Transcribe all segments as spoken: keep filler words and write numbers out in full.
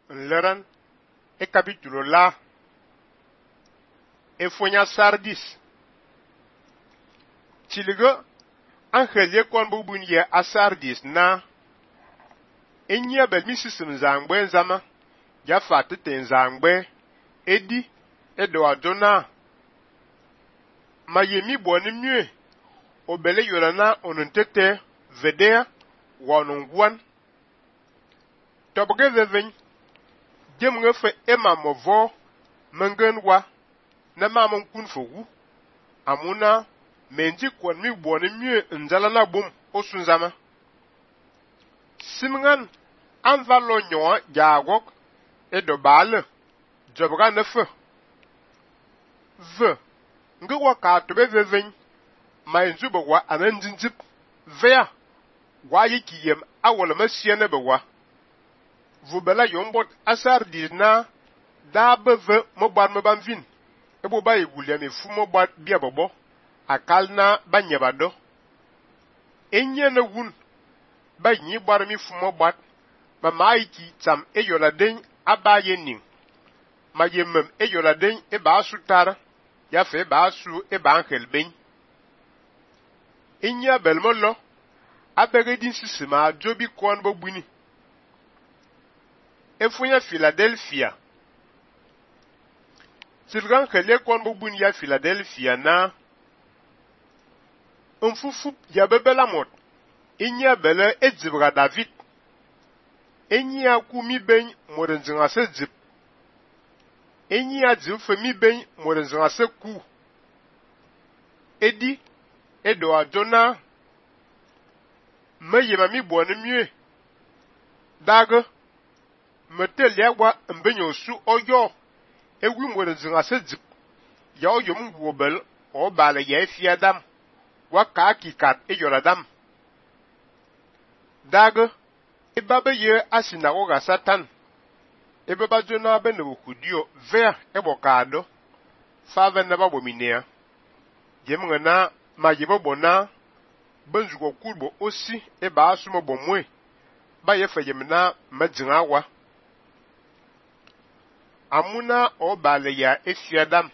nleran e capítulo la e fonya Sardis. Tiliga angel ye kon bu bun ye a Sardis na enya bel misisim zangbe zama ya fatete zangbe edi edo adona mayemi boni mue obele yorana onuntete vedea wanungwan tobge veven jemnge fe ema movo mengen wa na mamon kun fogu amuna menji kon mi boni mue nzala na bum osunzama simngan anvalo nyoa jagok edo bale jobga nefe ve nge waka tobe veven mai nzubo wa ananjinjip vea wa yikiyem awol masiene bewa vubela yombot asar na da beve mobar mebanvin ebo ba yigulia me fu mobar bia bobo akal na banyebado enye na wun ba nyi bar mi fu mobar ma maiki tam eyola den abaye ning ma yemem eyola den e ba sutara ya fe ba su e ba angel ben inya belmolo abege din sisima jobi kon bo buni efunya Philadelphia silgan khele kon bo buni ya Philadelphia na unfufu ya bebela mot inya bele edzibra David inya ku mi ben morenzinga se dzib inya dzib fe mi ben morenzinga se ku edi edo adona me yema mi boni mue daga metel yawa mbenyo su oyo ewi morenzinga se dzib ya oyo mgwobel o bale ya efi adam wa ka kikat eyola dam daga ibabe ye asinagoga satan ebe bajona be no kudio ver ebokado fave na babominea jemngana ma yebo bona benzugo kurbo osi e ba asumo bomwe ba ye fayemna madzinga wa amuna o bale ya efiadam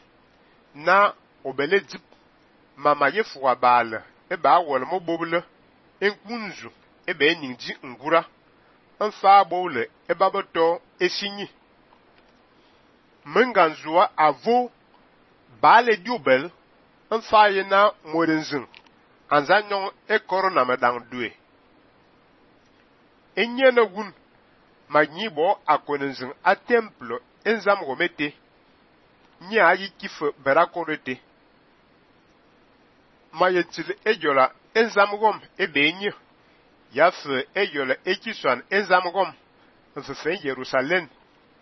na obele dip mama ye fuwa bale e ba wol mo bobule enkunzu e be nyinji ngura anfa bole e ba boto esinyi menganzuwa avo bale diobel anfa ye na morenzin anzanyon e korona medang due enye na gun magnibo akonenzin a templo enzam gomete nya ayi kife berakorete mayetil ejola enzam gom ebenye yafe ejola ekiswan enzam gom mfefe Jerusalem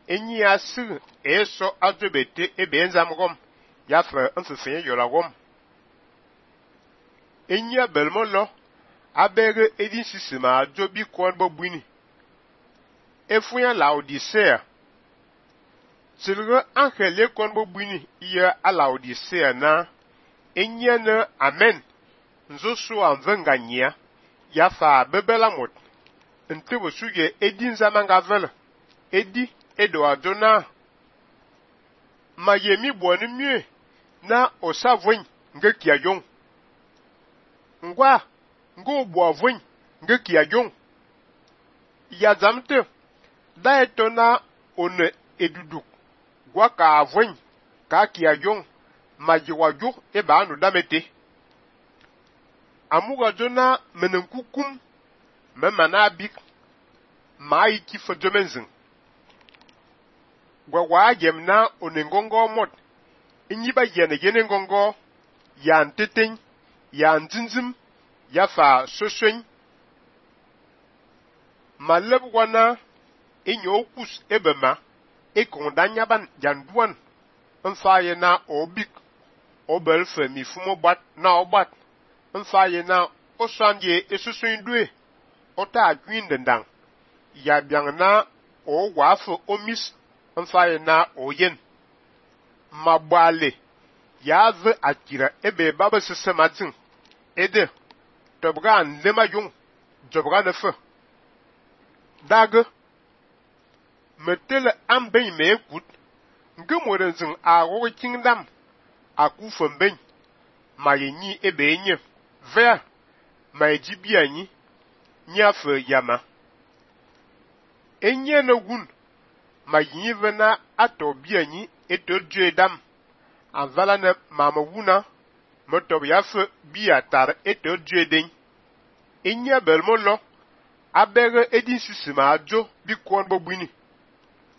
enyi asir eso adobete ebe enzam gom yafe mfefe ejola gom enyi belmolo abere edin sisima jobi kon bobuni efunya Laodicea silga angele kon bobuni iya a Laodicea na enyi na amen nzo so anvenganya yafa bebela mot ntebo suye edin zamanga vela edi edo adona mayemi boni mue na osavoin nge kiayon ngwa ngo boavoin nge kiajon ya zamte da etona one eduduk gwa ka avoin ka kiajon majiwaju e ba anu damete amuga jona menenkukum memana bik mai kifa domenzin gwa wa gemna one ngongo mot inyiba yene yene ngongo ya nteten ya nzinzim ya fa soswen maleb wana inyo kus ebema ekondanya ban janduan mfaye na obik obel femi fumo bat na obat mfaye na osanje esuswen due ota agwin dendang ya biang na o wafo omis mfaye na oyen mabale ya ve akira ebe baba sisematin ede tobga nlema yung jobga nefe dag metele amben me ekut nge morenzen a wo kingdom aku femben ma yenyi ebe nye vea ma ejibi anyi nya fe yama enye no gun ma yin vena ato bi anyi eto dam anvala ne mama wuna moto ya fe bi atar eto den enye belmo lo abere edin sisima ajo bi kon bobwini